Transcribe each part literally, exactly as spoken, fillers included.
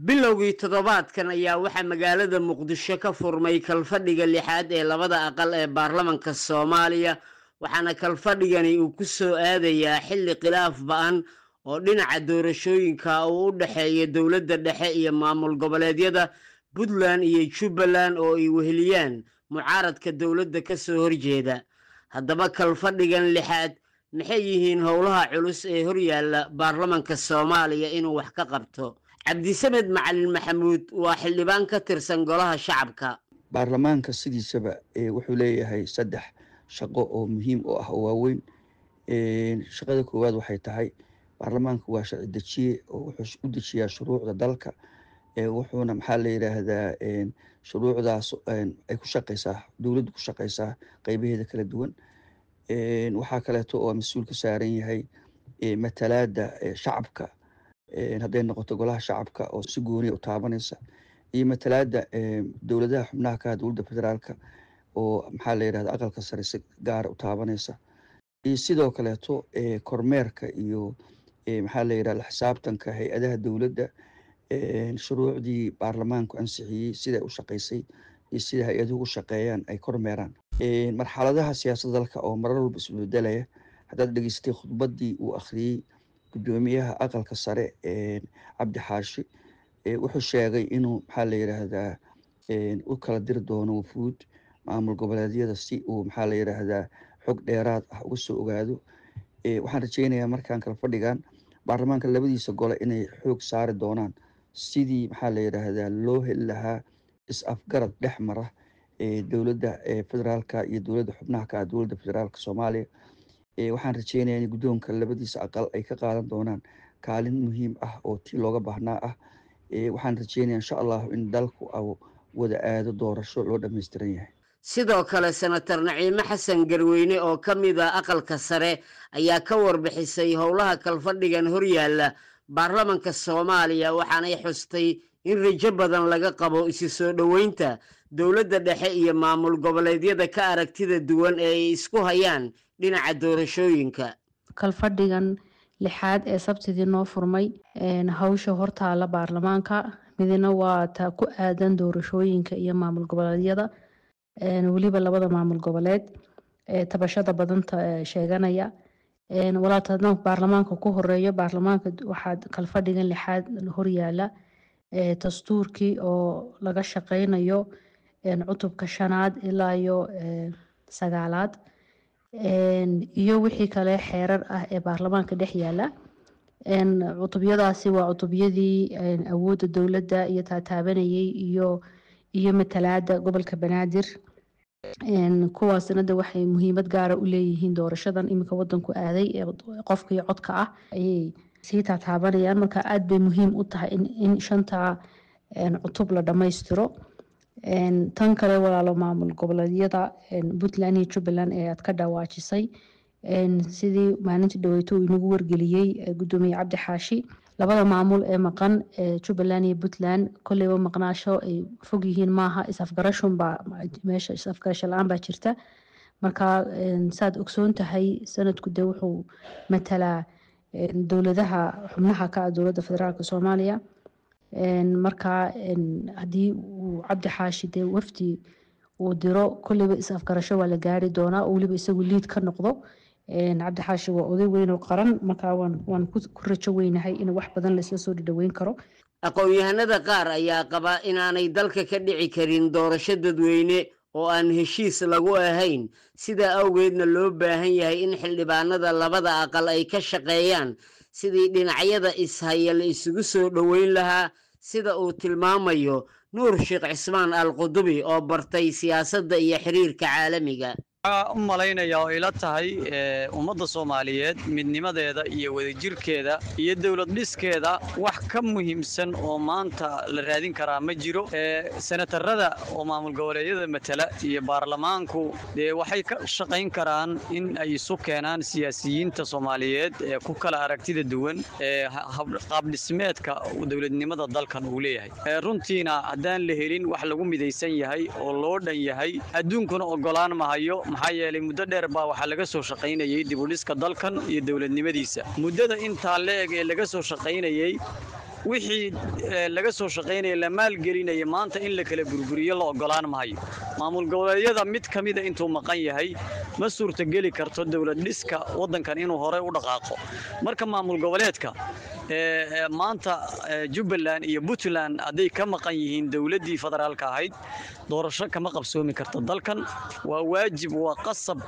Bilowgii toddobaadkan ayaa waxaa magaalada Muqdisho ka furmay kalfadhiga lixaad ee labada aqal ee baarlamanka Soomaaliya, waxaana kalfadhigani uu ku soo aadayaa xilli khilaaf ba'an oo dhinaca doorashooyinka uu u dhexeeya dowladda dhexe iyo maamul goboleedyada Puntland iyo Jubbaland oo ay weheliyaan mucaaradka dowladda ka soo horjeeda. Haddaba kalfadhigan lixaad maxay yihiin howlaha culus ee horyaalla baarlamanka Soomaaliya inuu wax ka qabto? Cabdisamed Macalin Maxamuud waa xildhibaan ka tirsan golaha shacabka. Baarlamaanka sidiisaba wuxuu leeyahay saddex shaqo oo muhiim u ah oo waaweyn. Shaqada koowaad waxay tahay baarlamaanku waa sharci dejiye oo wuxuu u dejiyaa shuruucda dalka, wuxuuna maxaa la yiraahdaa shuruucdaas ay ku shaqeysaa dowladdu, ku shaqeysaa qeybaheeda kala duwan. Waxaa kaleeto oo mas-uul ka saaran yahay matalaada shacabka, hadday noqoto golaha shacabka oo si gooniya u taabanaysa, iyo matalaada dowladaha xubnaha ka ah dowladda federaalka oo maxaa la yirahda aqalka sare si gaara u taabanaysa, iyo sidoo kaleeto kormeerka iyo maxaa la yirahda xisaabtanka hay-adaha dowladda, shuruucdii baarlamaanku ansixiyey siday u shaqeysay iyo sida hay-aduhu u shaqeeyaan ay kormeeraan. Marxaladaha siyaasadda dalka oo marar walba isbedelaya, haddaad dhegeysatay khudbaddii uu akhriyey guddoomiyaha aqalka sare Cabdi Xaashi, wuxuu sheegay inuu maxaa la yiraahdaa u kala diri doono wafuud maamul goboleedyada si uu maxaa la yiraahdaa xog dheeraad ah uga soo ogaado. Waxaan rajeynayaa markaan kala fadhigan baarlamaanka labadiisa gole inay xoog saari doonaan sidii maxaa la yiraahdaa loo heli lahaa is-afgarad dhex mara dowladda federaalka iyo dowladda xubnaha ka ah dowladda federaalka Soomaaliya. Waxaan rajeynayaa in guddoonka labadiisa aqal ay ka qaadan doonaan kaalin muhiim ah oo tii looga baahnaa ah. Waxaan rajeynayaa insha Allahu in dalku wada aado doorasho loo dhammaystiran yahay. Sidoo kale Senator Naciime Xasan Garweyne oo ka mid a aqalka sare ayaa ka warbixisay howlaha kalfadhigan horyaalla baarlamanka Soomaaliya, waxaanay xustay in rajo badan laga qabo isu soo dhoweynta dowladda dhexe iyo maamul goboleedyada ka aragtida duwan ee ay isku hayaan dhinaca doorashooyinka. Kalfadhigan lixaad ee Sabtidii noo furmay, hawsha hortaala baarlamaanka midna waa ta ku aadan doorashooyinka iyo maamul goboleedyada, weliba labada maamul goboleed ee tabashada badanta sheeganaya. Walaata haddaan baarlamaanka ku horeeyo, baarlamaanka waxaa kalfadhigan lixaad horyaala dastuurkii oo laga shaqeynayo cutubka shanaad ilaa iyo sagaalaad iyo wixii kale xeerar ah ee baarlamaanka dhex yaala. Cutubyadaasi waa cutubyadii awoodda dowladda iyo taataabanayay iyo iyo matalaada gobolka Banaadir. Kuwaasna de waxay muhiimad gaara u leeyihiin doorashadan iminka wadanku aaday ee qofka iyo codka ah ayay sii taataabanayaan. Marka aada bay muhiim u tahay in shanta cutub la dhammaystiro. Tan kale walaalo, maamul goboleedyada Puntland iyo Jubbaland ee aad ka dhawaajisay, sidii maalintii dhaweyto uu inagu wargeliyey gudoomiye Cabdi Xaashi, labada maamul ee maqan Jubbaland iyo Puntland kolleyba maqnaasho ay fog yihiin maaha, is-afgarashunbaa meesha, is-afgarasho la-aan baa jirta. Marka saad ogsoon tahay, sanadku dee wuxuu matalaa dowladaha xubnaha ka ah dowladda federaalka Soomaaliya. Marka haddii uu Cabdi Xaashi dee wafdi uu diro, kolleyba is-afgarasho waa la gaari doonaa oo weliba isagu liid ka noqdo. Cabdi Xaashi waa oday weyn oo qaran, markaa waan waan ku rajo weynahay in wax badan laisla soo dhadhaweyn karo. Aqoon-yahanada qaar ayaa qaba inaanay dalka ka dhici karin doorasho dadweyne oo aan heshiis lagu ahayn, sidaa awgeedna loo baahan yahay in xildhibaanada labada aqal ay ka shaqeeyaan sidii dhinacyada ishaya la isugu soo dhoweyn lahaa, sida uu tilmaamayo Nuur Sheekh Cismaan Al Qudubi oo bartay siyaasadda iyo xiriirka caalamiga. Waxaa u malaynayaa oo ila tahay ummadda Soomaaliyeed midnimadeeda iyo wadajirkeeda iyo dowlad dhiskeeda wax ka muhiimsan oo maanta la raadin karaa ma jiro. Senatarada oo maamul goboleedyada matala iyo baarlamaanku dee waxay ka shaqayn karaan in ay isu keenaan siyaasiyiinta Soomaaliyeed ee ku kala aragtida duwan ee qaabdhismeedka dowladnimada dalkan uu leeyahay. Runtiina haddaan la helin wax lagu midaysan yahay oo loo dhan yahay, adduunkuna ogolaan mahayo, maxaa yeelay muddo dheer baa waxaa laga soo shaqaynayay dib u dhiska dalkan iyo dowladnimadiisa. Muddada intaa la-eg ee laga soo shaqaynayey Wixii laga soo shaqaynaya, la maalgelinaya, maanta in la kala burburiyo la ogolaan mahayo. Maamul goboleedyada mid ka mida intuu maqan yahay ma suurtageli karto dowlad dhiska waddankan inuu horey u dhaqaaqo. Marka maamul goboleedka maanta Jubbaland iyo Puntland hadday ka maqan yihiin dowladdii federaalka ahayd, doorasho kama qabsoomi karto dalkan. Waa waajib, waa qasab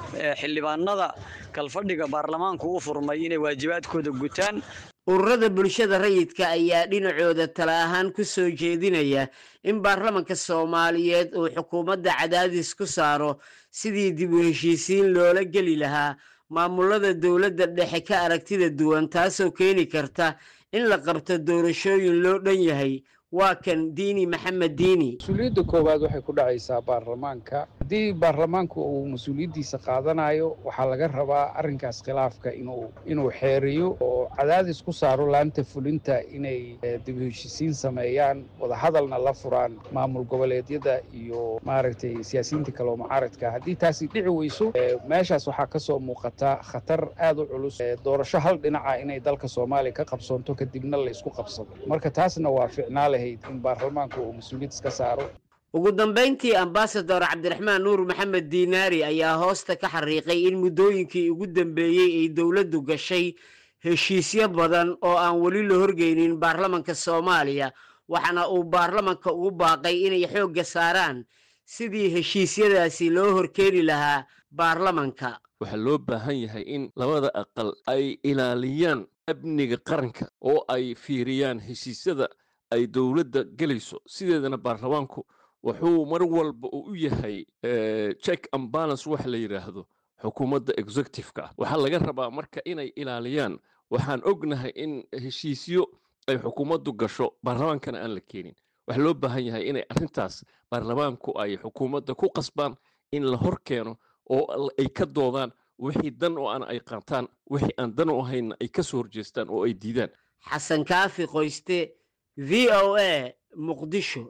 xildhibaanada kalfadhiga baarlamaanku u furmay inay waajibaadkooda gutaan. Ururada bulshada rayidka ayaa dhinacooda tala ahaan ku soo jeedinaya in baarlamanka Soomaaliyeed uu xukuumadda cadaadis ku saaro sidii dib u heshiisiin loola geli lahaa maamulada dowladda dhexe ka aragtida duwan, taasoo keeni karta in la qabto doorashooyin loo dhan yahay. Waa kan Diini Maxamed Diini. Mas-uuliyadda koowaad waxay ku dhacaysaa baarlamaanka. Haddii baarlamaanku uu mas-uuliyaddiisa qaadanayo, waxaa laga rabaa arrinkaas khilaafka inuu inuu xeeriyo oo cadaadis ku saaro laanta fulinta inay dib u heshiisiin sameeyaan, wadahadalna la furaan maamul goboleedyada iyo maaragtay siyaasiyiinta kale oo mucaaradka. Haddii taasi dhici weyso, meeshaas waxaa ka soo muuqata khatar aad u culus, doorasho hal dhinaca inay dalka Soomaaliya ka qabsoonto, kadibna la isku qabsado. Marka taasna waa ficnaa lahayd in baarlamaanku uu mas-uuliyad iska saaro. Ugu dambayntii, Ambasador Cabdiraxmaan Nuur Maxamed Diinaari ayaa hoosta ka xariiqay in muddooyinkii ugu dambeeyey ay dowladdu gashay heshiisyo badan oo aan weli la horgeynin baarlamanka Soomaaliya, waxaana uu baarlamanka ugu baaqay inay xoogga saaraan sidii heshiisyadaasi loo horkeeni lahaa baarlamanka. Waxaa loo baahan yahay in labada aqal ay ilaaliyaan amniga qaranka oo ay fiiriyaan heshiisyada ay dowladda gelayso. Sideedana baarlamaanku wuxuu mar walba uu u yahay check and balance waxa la yidhaahdo xukuumadda executive-ka ah. Waxaa laga rabaa marka inay ilaaliyaan. Waxaan ognahay in heshiisyo ay xukuumaddu gasho baarlamaankana aan la keenin. Waxaa loo baahan yahay inay arrintaas baarlamaanku ay xukuumadda ku qasbaan in la hor keeno oo ay ka doodaan, wixii dan oo aan ay qaataan, wixii aan dan u ahaynna ay ka soo horjeestaan oo ay diidaan. Xasan Kaafi Qoyste, V O A, Muqdisho.